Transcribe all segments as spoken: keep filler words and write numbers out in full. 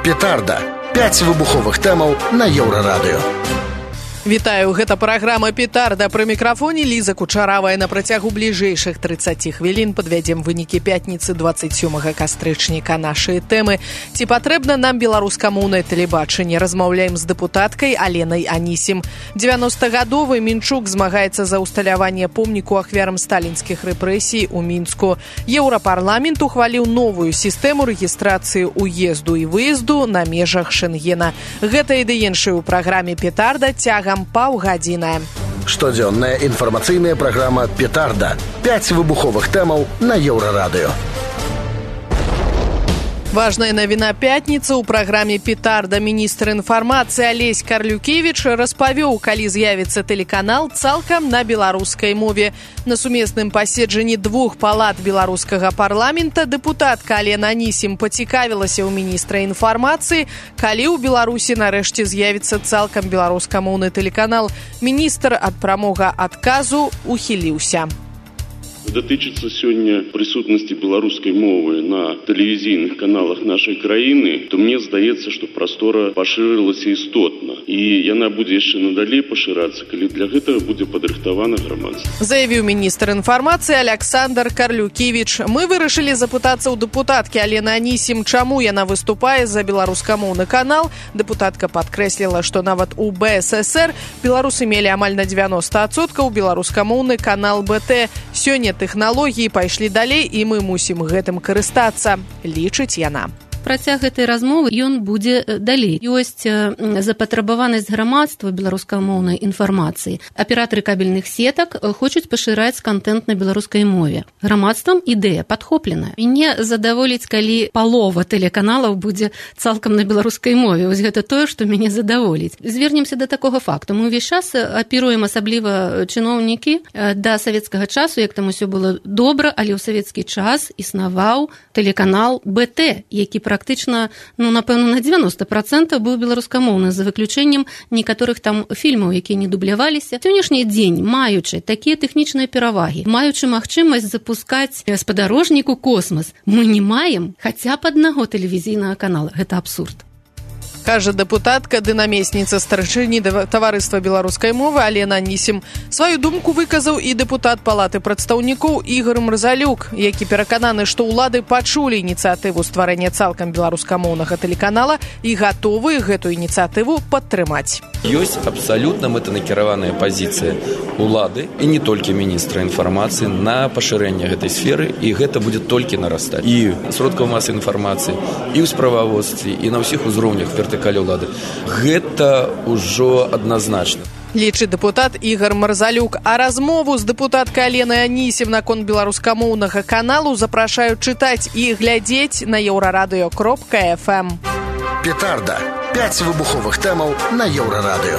Петарда. пяць выбуховых тэмаў на Еўрарадыё. Вітаю, гэта праграма «Петарда». Пры мікрафоне Ліза Кучаравая. На працягу бліжэйшых трыццаці хвілін падвядзем вынікі пятніцы дваццаць сёмага кастрычніка. Нашыя тэмы. Ці патрэбна нам беларускамоўнае тэлебачанне? Размаўляем з дэпутаткай Аленай Анісім. дзевяностагадовы Мінчук змагаецца за ўсталяванне помніку ахвярам сталінскіх рэпрэсій у Мінску. Еўрапарламент ухваліў новую сістэму рэгістрацыі ўезду і выезду на межах Шэнгена. Гэта і ды іншае ў праграме «Петарда» цягам паўгадзіна. Штодзённая інфармацыйная праграма «Петарда». пяць выбуховых тэмаў на Еўрарадыё. Важная навіна пятніцы ў праграме «Петарда». Міністр інфармацыі Алесь Карлюкевіч распавёў, калі з'явіцца тэлеканал цалкам на беларускай мове. На сумесным паседжанні двух палат беларускага парламента дэпутатка Алена Анісім пацікавілася ў міністра інфармацыі, калі ў Беларусі нарэшце з'явіцца цалкам беларускамоўны тэлеканал. Міністр ад прамога адказу ухіліўся. Датычыцца сёння прысутнасці беларускай мовы на тэлевізійных каналах нашай краіны, то мне здаецца, што прастора пашырылася істотна. І яна будзе яшчэ надалей пашырацца, калі для гэтага будзе падрыхтавана грамадства. Заявіў міністр інфармацыі Александр Карлюкевіч. Мы вырашылі запытацца ў дэпутаткі Алены Анісім, чаму яна выступае за беларускамоўны канал. Дэпутатка падкрэсліла, што нават у бэ эс эсэр беларусы мелі амаль на дзевяноста адсоткаў беларускамоўны канал бэ тэ. Сёння тэхналогіі пайшлі далей, і мы мусім гэтым карыстацца, лічыць яна. Працяг гэтай размовы ён будзе далей. Ёсць запатрабаванасць грамадства беларускамоўнай інфармацыі. Аператары кабельных сетак хочуць пашыраць кантэнт на беларускай мове. Грамадствам ідэя падхопленая. Мяне задаволіць, калі палова тэлеканалаў будзе цалкам на беларускай мове. Вось гэта тое, што мяне задаволіць. Звернемся да такога факту. Мы ўвесь час апіруем, асабліва чыноўнікі, да савецкага часу, як там усё было добра, але ў савецкі час існаваў тэлеканал бэ тэ, які практычна, ну, напэўна, на дзевяноста працэнтаў быў беларускамоўны, за выключэннем некаторых там фільмаў, якія не дубляваліся. Сённяшні дзень, маючы такія тэхнічныя перавагі, маючы магчымасць запускаць спадарожнік у космас, мы не маем хаця б аднаго тэлевізійнага канала. Гэта абсурд. Кажа дэпутатка ды намесніца старшыні таварыства беларускай мовы Алена Анісім. Сваю думку выказаў і дэпутат палаты прадстаўнікоў Ігор Мразалюк, які перакананы, што ўлады пачулі ініцыятыву стварэння цалкам беларускамоўнага тэлеканала і гатовы гэту ініцыятыву падтрымаць. Ёсць абсалютна мэтанакіраваная пазіцыя улады і не толькі міністра інфармацыі на пашырэнне гэтай сферы, і гэта будзе толькі нарастаць. І сродкаў масавай інфармацыі, і ў справаводстве, і на ўсіх узроўнях вертыкалі ўлады. Гэта ўжо адназначна. Лічыць дэпутат Ігор Марзалюк. А размову з дэпутаткай Аленай Анісім наконт беларускамоўнага каналу запрашаюць чытаць і глядзець на еўрарадыё кропка эф эм. Петарда. пяць выбуховых тэмаў на Еўрарадыё.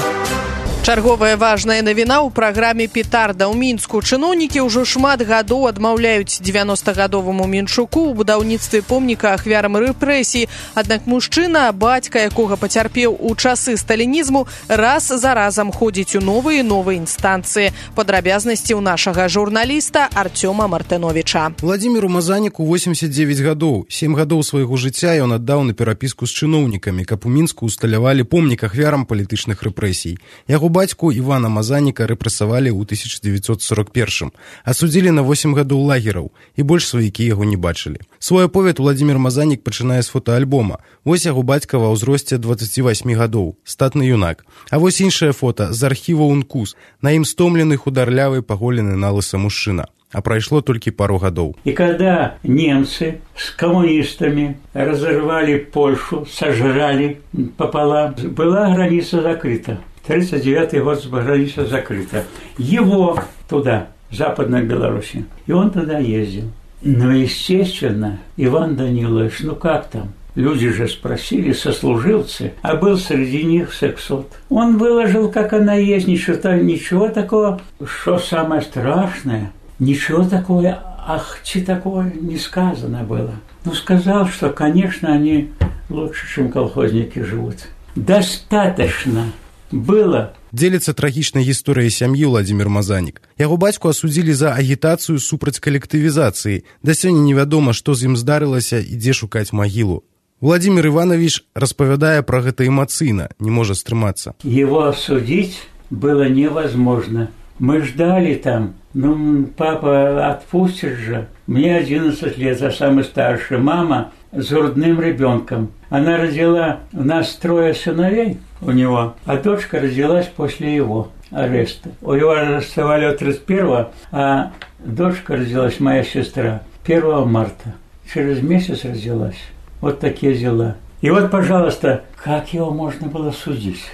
Чарговая важная навіна ў праграме «Петарда». У Мінску чыноўнікі ўжо шмат гадоў адмаўляюць дзевяностагадоваму Мінчуку ў будаўніцтве помніка ахвярам рэпрэсій. Аднак мужчына, бацька якога пацярпеў у часы сталінізму, раз за разам ходзіць у новыя і новыя інстанцыі. Падрабязнасці ў нашага журналіста Артёма Мартыновіча. Владзіміру Мазаніку восемьдесят девять гадоў. Сем гадоў свайго жыцця ён аддаў на перапіску з чыноўнікамі, каб у Мінску ўсталявалі помнік ахвярам палітычных рэпрэсій. Яго бацьку Івана Мазаніка рэпрэсавалі ў тысяча дзевяцьсот сорок першым, асудзілі на восем гадоў лагераў, і больш сваякі яго не бачылі. Свой аповед Владзімір Мазанік пачынае з фотаальбома. Вось яго бацька ва ўзросце дваццаці васьмі гадоў, статны юнак. А вось іншае фота з архіва УНКУС. На ім стомлены, хударлявы, паголены на лыса мужчына. А прайшло толькі пару гадоў. И когда немцы с коммунистами разорвали Польшу, сожрали пополам, была граница закрыта. тридцать девятый год граница закрыта. Его туда, в Западной Беларуси. И он туда ездил. Но, естественно, Иван Данилович, ну как там? Люди же спросили, сослуживцы, а был среди них сексот. Он выложил, как она есть, ничего, ничего такого, что самое страшное, ничего такого, ах, чи такое не сказано было. Ну, сказал, что, конечно, они лучше, чем колхозники живут. Достаточно было. Дзеліцца трагічнай гісторыяй сям'і Владзімір Мазанік. Яго бацьку асудзілі за агітацыю супраць калектывізацыі. Да сёння невядома, што з ім здарылася і дзе шукаць магілу. Владимир Иванович распавядае пра гэта эмацыйна, не можа стрымацца. Его осудить было невозможно. Мы ждали там, ну, папа отпустит же. Мне одиннадцать лет, а самый старший. Мама с грудным ребенком. Она родила, у нас трое сыновей у него, а дочка родилась после его ареста. У его арестовали тридцать первого, а дочка родилась, моя сестра, первого марта. Через месяц родилась. Вот такие дела. И вот, пожалуйста, как его можно было судить?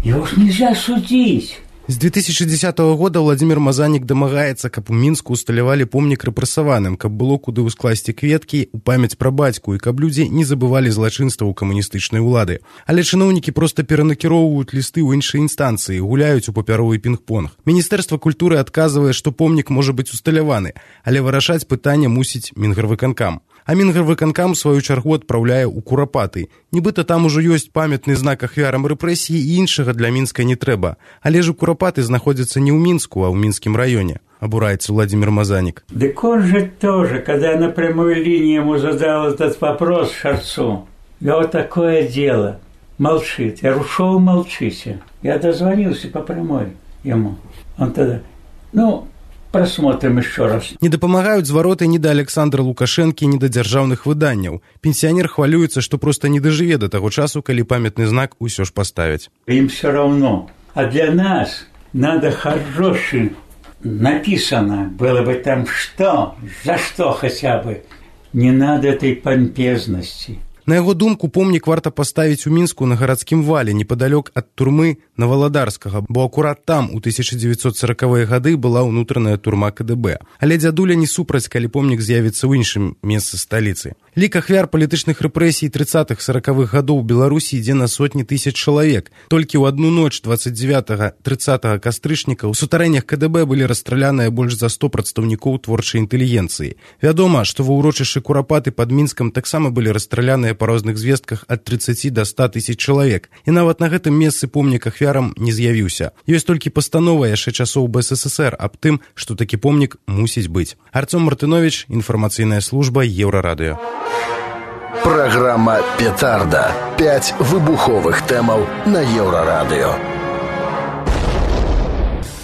Его ж нельзя судить. З две тысячи десятого года Владимир Мазанік дамагаецца, каб у Мінску усталявалі помнік рэпрэсаваным, каб было куды ўскласці кветкі ў памяць пра бацьку і каб людзі не забывалі злачынстваў камуністычнай улады. Але чыноўнікі проста перанакіроўваюць лісты ў іншыя інстанцыі, гуляюць у папяровы пінг-понг. Міністэрства культуры адказвае, што помнік можа быць усталяваны, але вырашаць пытанне мусіць Мінгарвыканкам. А Мінгарвыканкам, у сваю чаргу, адпраўляе ў Курапаты. Нібыта там ужо ёсць памятны знак ахвярам рэпрэсіі і іншага для Мінска не трэба. Але ж у Курапаты знаходзяцца не ў Мінску, а ў Мінскім раёне. Обурается Владимир Мазанік. Так он же тоже, когда я на прямой линии ему задал этот вопрос Шарцу, я вот такое дело, молчит. Я ушел, молчите. Я дозвонился по прямой ему. Он тогда, ну... Просмотрим еще раз. Не дапамагаюць звароты ні да Александра Лукашэнкі, ні да дзяржаўных выданняў. Пенсіянер хвалюецца, што проста не дажыве да таго часу, калі памятны знак усё ж паставяць. Им все равно. А для нас надо хороший написано было бы там что, за что хотя бы. Не надо этой помпезности. На яго думку, помнік варта паставіць у Мінску на гарадскім вале, непадалёк ад турмы Наваладарскага, бо акурат там у тысяча дзевяцьсот сорокавыя гады была ўнутраная турма ка дэ бэ. Але дзядуля не супраць, калі помнік з'явіцца ў іншым месцы сталіцы. Лік ахвяр палітычных рэпрэсій трыццатых сорокавых гадоў Беларусі ідзе на сотні тысяч чалавек. Толькі ў адну ноч дваццаць дзевятага трыццатага кастрычніка ў сутарэннях ка дэ бэ былі расстраляныя больш за сто прадстаўнікоў творчай інтэлігенцыі. Вядома, што ва ўрочышчы Курапаты пад Мінскам таксама былі расстраляныя па розных звестках ад трыццаці да ста тысяч чалавек. І нават на гэтым месцы помнік ахвярам не з'явіўся. Ёсць толькі пастанова яшчэ часоў бэ эс эс эс эр аб тым, што такі помнік мусіць быць. Арцём Мартынович, інфармацыйная служба Еўрарадыё. Программа «Петарда». Пять выбуховых тэмаў на Еўрарадыё.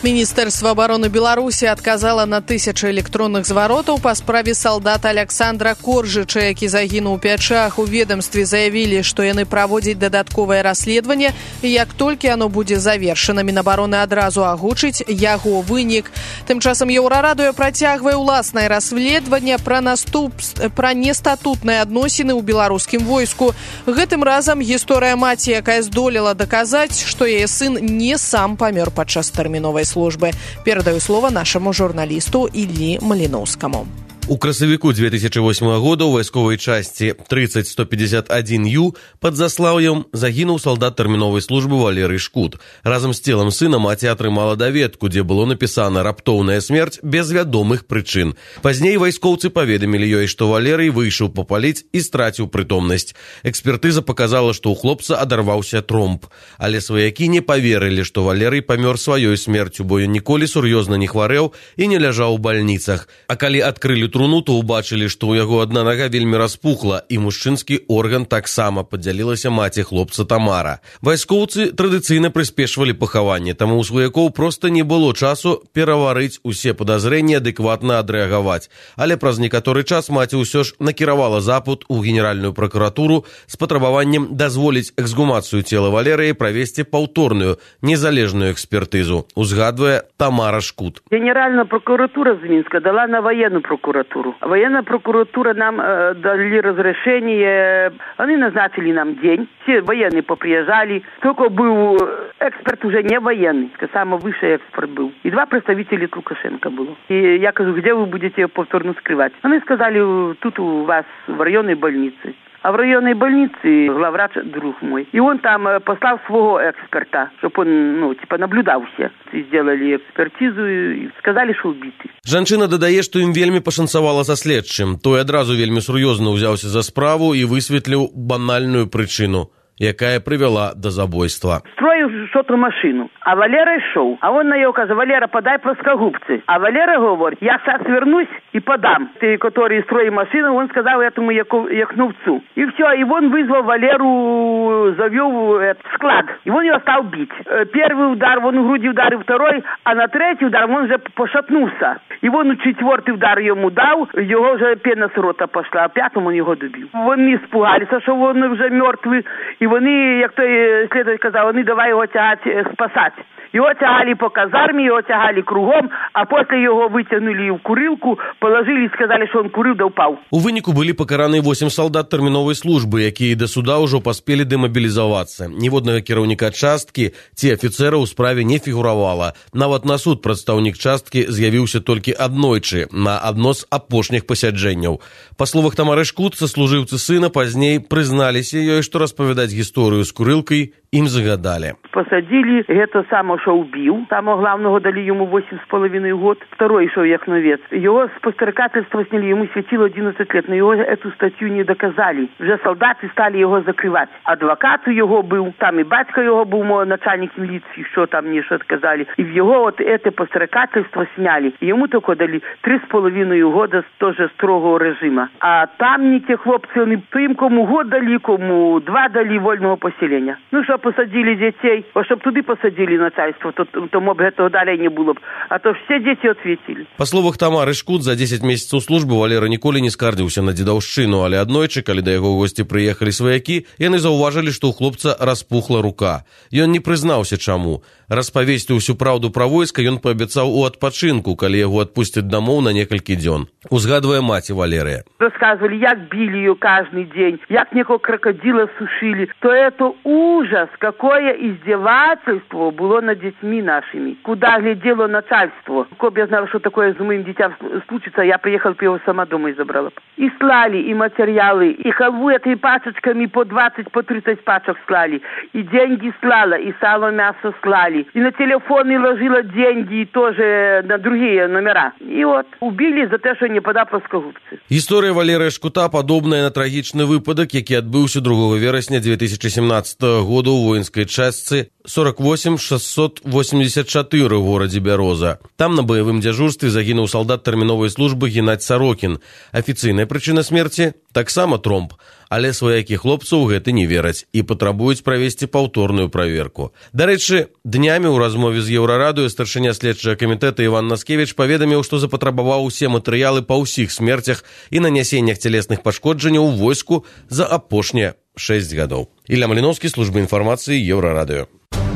Міністэрства абароны Беларусі адказала на тысячы электронных зваротаў па справе салдата Александра Коржыча, які загінуў у пячах. У ведомстве заявілі, што яны праводзяць дадатковае расследаванне, і як толькі оно будзе завершана, Мінабароны адразу агучыць яго вынік. Тым часам Еўрарадыё працягвае ўласнае расследаванне пра наступ пра нестатутныя адносіны ў беларускім войску. Гэтым разам гісторыя маці, якая здолела даказаць, што яе сын не сам памёр падчас тэрміновай службы. Перадаю слово нашему журналисту Іллі Маліноўскаму. У красавіку две тысячи восьмого года ў вайсковай часці тридцать сто пятьдесят один ю пад Заслаўем загінуў салдат тэрміновай службы Валерый Шкут. Разам з целам сына маці атрымала даведку, дзе было напісана «Раптоўная смерць без вядомых прычын». Пазней вайскоўцы паведамілі ёй, што Валерый выйшаў папаліць і страціў прытомнасць. Экспертыза паказала, што ў хлопца адарваўся тромб. Але сваякі не паверылі, што Валерый памёр сваёй смерцю, бо ён ніколі сур'ёзна не хварэў і не ляжаў у бальніцах. А калі адкрылі труну, то ўбачылі, што ў яго адна нага вельмі распухла, і мужчынскі орган таксама, падзялілася маці хлопца Тамара. Вайскоўцы традыцыйна прыспешвалі пахаванне, таму ў сваякоў проста не было часу пераварыць усе падазрэнні, адэкватна адрэагаваць. Але праз некаторы час маці ўсё ж накіравала запыт у Генеральную пракуратуру з патрабаваннем дазволіць эксгумацыю цела Валерыі, правесці паўторную незалежную экспертызу, узгадвае Тамара Шкут. Генеральная прокуратура з Мінска дала на военную прокуратуру. Военная прокуратура нам э, дали разрешение, они назначили нам день, все военные поприезжали, только был эксперт уже не военный, самый высший эксперт был. И два представителя Лукашенко было. И я говорю, где вы будете повторно скрывать? Они сказали, тут у вас в районной больнице. А в районной больнице главврач друг мой. И он там послал своего эксперта, чтобы он, ну, типа, наблюдал все. Сделали экспертизу и сказали, что убиты. Жанчына дадае, што ім вельмі пашанцавала са следчым. Той адразу вельмі сур'ёзна ўзяўся за справу і высветліў банальную прычыну. якая прывяла да забойства. Строіў что-то машину, а Валера ішоў. А он на яго кажа: Валера, подай плоскогубцы. А Валера говорит: я сейчас вернусь и подам. Ты, который строит машину, он сказал этому Яхновцу. И все, и он вызвал Валеру, завел в склад. И он его стал бить. Первый удар, он в груди ударил, второй, а на третий удар он уже пошатнулся. И он четвертый удар ему дал, его уже пена с рота пошла, а пятому он его добил. Вони испугалися, що він вже мертвий, і вони, як той слідователь казав, вони давай його тягати, спасати. Його тягали по казармі, його тягали кругом, а після його витягнули в курилку, положили і сказали, що він курив да впав. У выніку былі пакараны восемь салдат тэрміновай службы, якія да суда ўжо паспелі дэмабілізавацца. Ніводнага кіраўніка часткі ці афіцэра ў справе не фігуравала. Нават на суд прадстаўнік часткі з'явіўся толькі аднойчы, на адно з апошніх пасяджэнняў. Па словах Тамары Шкут, саслужыўцы сына пазней прызналіся ёй, што распавядаць гісторыю з курылкай ім загадали. Посадили это само, что убил. Самого главного дали ему восемь с половиной год. Второй шел Яхновец. Его с подстрекательства сняли, ему светило одиннадцать лет, но его эту статью не доказали. Уже солдаты стали его закрывать. Адвокат у его был, там и батька его был, мой начальник милиции, что там мне что сказали. И в его вот это подстрекательство сняли. И ему только дали три с половиной года тоже строгого режима. А там не те хлопцы, они им кому год дали, кому два дали вольного поселения. Ну, что посадили детей, а щоб туди посадили начальство, то, то моб этого далее не было б. А то все дети ответили. По словах Тамары Шкут, за дзесяць месяцаў службы Валера ніколі не скардзіўся на дзедаўшчыну, але аднойчы, калі да яго ў госці прыехалі сваякі, яны заўважылі, што ў хлопца распухла рука. Ён не прызнаўся чаму. Распавесці ўсю праўду пра войска ён паабяцаў у адпачынку, калі яго адпусцяць дамоў на некалькі дзён. Узгадвае маці Валерыя. Рассказывали, як били ее каждый день, як некого крокодила сушили. То это ужас, какое издевательство было над детьми нашими. Куда глядело начальство. Коб я знала, что такое с моим детям случится, я приехала, его сама дома и забрала. И слали, и материалы, и халву этой пачечками по двадцать, по тридцать пачек слали. И деньги слала, и сало, мясо слали. И на телефоны ложила деньги тоже на другие номера. И вот убили за то, что не подав плоскогубцы. Гісторыя Валерыя Шкута падобная на трагічны выпадак, які адбыўся другого верасня две тысячи семнадцатого года ў воінскай частцы сорок восемь шестьсот восемьдесят четыре в горадзе Бяроза. Там на баявым дзяжурстве загінуў салдат тэрміновай службы Геннадзь Сорокін. Афіцыйная прычына смерці таксама тромб, але сваякі хлопцаў гэты не вераць і патрабуюць правесці паўторную праверку. Дарэчы, днямі ў размове з Еўрарадыё старшыня следчага камітэта Іван Наскевіч паведаміў, што запатрабаваў усе матэрыялы па ўсіх смерцях і нанясеннях цялесных пашкоджанняў у войску за апошнія шэсць гадоў. Ілля Маліноўскі, служба інфармацыі, Еўрарадыё.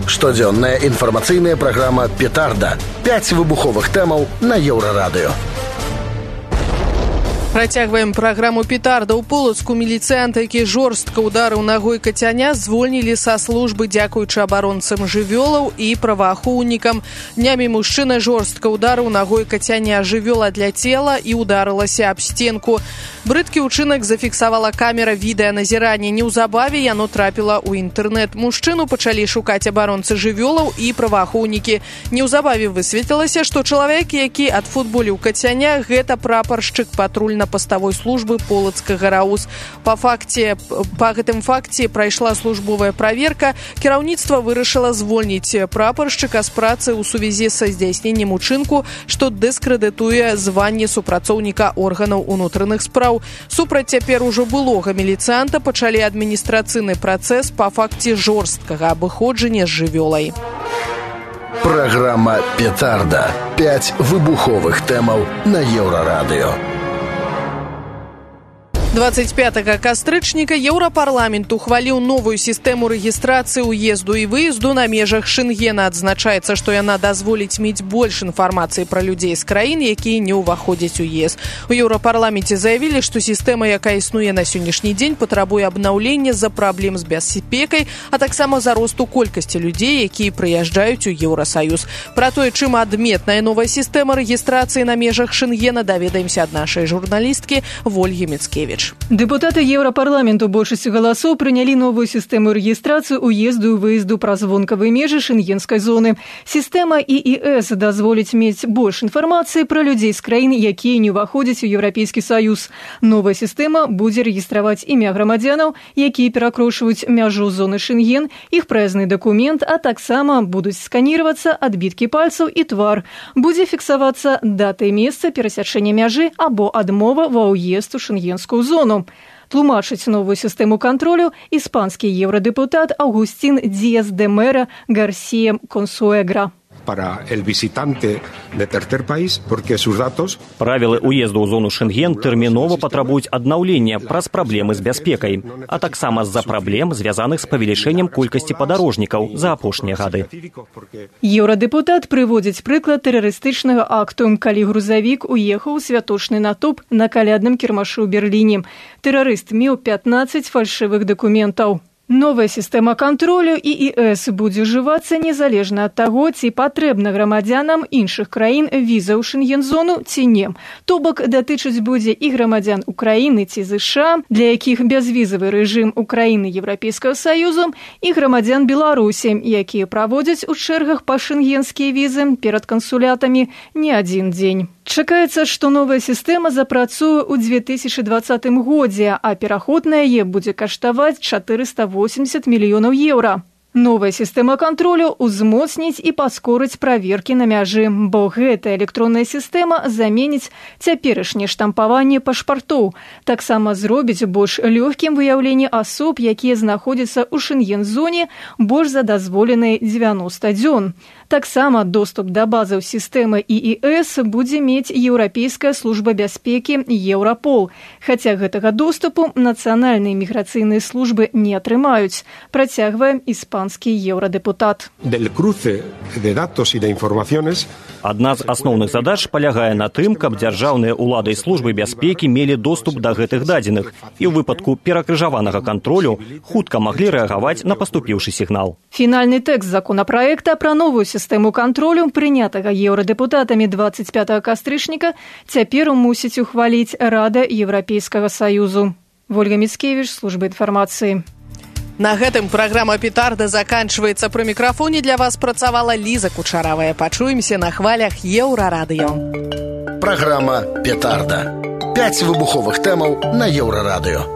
Штодзённая інфармацыйная праграма «Петарда». Пяць выбуховых тэмаў на Еўрарадыё. Працягваем праграму «Петарда». У Полацку міліцыянта, які жорстка ударыў нагой кацяня, звольнілі са службы дзякуючы абаронцам жывёлаў і праваахоўнікам. Днямі мужчына жорстка ударыў нагой кацяня. Жывёла адляцела і ударылася аб стенку. Брыдкі ўчынак зафіксавала камера відэаназірання. Неўзабаве яно трапіла ў інтэрнэт. Мужчыну пачалі шукаць абаронцы жывёлаў і праваахоўнікі. Неўзабаве высветлілася, што чалавек, які адфутболіў кацяня, гэта прапаршчык патрульна-паставой службы Полацкага РАУС. Па факце, па гэтым факце прайшла службовая праверка. Кіраўніцтва вырашыла звольніць прапаршчыка з працы ў сувязі са здзяйсненнем учынку, што дыскрэдытуе званне супрацоўніка органаў унутраных спраў. Супраць цяпер ужо былога міліцыянта пачалі адміністрацыйны працэс па факце жорсткага абыходжання з жывёлай. Праграма «Петарда». Пяць выбуховых тэмаў на Еўрарадыё. двадцать пятага кастрычніка Еўрапарламент ухваліў новую сістэму рэгістрацыі ўезду і выезду на межах Шэнгена. Адзначаецца, што яна дазволіць мець больш інфармацыі пра людзей з краін, якія не ўваходзяць у ЕС. У Еўрапарламенце заявілі, што сістэма, якая існуе на сённяшні дзень, патрабуе абнаўлення з-за праблем з бяспекай, а таксама за росту колькасці людзей, якія прыязджаюць у Еўрасаюз. Пра тое, чым адметная новая сістэма рэгістрацыі на межах Шэнгена, даведаемся ад нашай журналісткі Вольгі Міцкевіч. Мікеевич. Дэпутаты Еўрапарламенту большасцю галасоў прынялі новую сістэму рэгістрацыі ўезду і выезду праз вонкавыя межы шэнгенскай зоны. Сістэма і і эс дазволіць мець больш інфармацыі пра людзей з краін, якія не ўваходзяць у Еўрапейскі Саюз. Новая сістэма будзе рэгістраваць імя грамадзянаў, якія перакрошваюць мяжу зоны Шэнген, іх праязны дакумент, а таксама будуць сканіравацца адбіткі пальцаў і твар. Будзе фіксавацца дата і месца перасячэння мяжы або адмова ва ўезд у шэнгенскую зону. Тлумачыць новую сістэму кантролю іспанскі еўрадэпутат Аўгусцін Диас де Мера Гарсія Консуэгра. Para el visitante de tercer país, porque sus datos... Правілы ўезду ў зону Шэнген тэрмінова патрабуюць аднаўлення праз праблемы з бяспекай, а таксама з-за праблем, звязаных з павелічэннем колькасці падарожнікаў за апошнія гады. Еўрадэпутат прыводзіць прыклад тэрарыстычнага акту, калі грузавік уехаў у святочны натоўп на калядным кірмашы ў Берліне. Тэрарыст меў пятнаццаць фальшывых дакументаў. Новая сістэма кантролю і і эс будзе ўжывацца незалежна ад таго, ці патрэбна грамадзянам іншых краін віза ў шэнген-зону ці не. То бок датычыць будзе і грамадзян Украіны ці ЗША, для якіх бязвізавы рэжым Украіны Еўрапейскага Саюзу, і грамадзян Беларусі, якія праводзяць у чэргах па шэнгенскія візы перад кансулятамі не адзін дзень. Чакаецца, што новая сістэма запрацуе ў две тысячы дваццатым годзе, а пераход на яе будзе каштаваць чатырыста восемьдесят мільёнаў еўра. Новая сістэма кантролю ўзмоцніць і паскорыць праверкі на мяжы, бо гэтая электронная сістэма заменіць цяперашняе штампаванне пашпартоў. Таксама зробіць больш лёгкім выяўленне асоб, якія знаходзяцца ў шэнген-зоне больш за дазволеныя дзевяноста дзён. Таксама доступ да базаў сістэмы і і эс будзе мець Еўрапейская служба бяспекі Еўрапол, хаця гэтага доступу нацыянальныя міграцыйныя службы не атрымаюць, працягвае іспанскі еўрадэпутат. Адна з асноўных задач палягае на тым, каб дзяржаўныя ўлады і службы бяспекі мелі доступ да гэтых дадзеных і ў выпадку перакрыжаванага кантролю хутка маглі рэагаваць на паступіўшы сігнал. Фінальны тэкст законапраекта пра новую сістэму кантролю, прынятага еўрадэпутатамі двадцать пятага кастрычніка, цяпер мусіць ухваліць Рада Еўрапейскага Саюзу. Вольга Міцкевіч, служба інфармацыі. На гэтым праграма «Петарда» заканчваецца. Пры мікрафоне для вас працавала Ліза Кучаравая. Пачуемся на хвалях Еўрарадыё. Праграма «Петарда». Пяць выбуховых тэмаў на Еўрарадыё.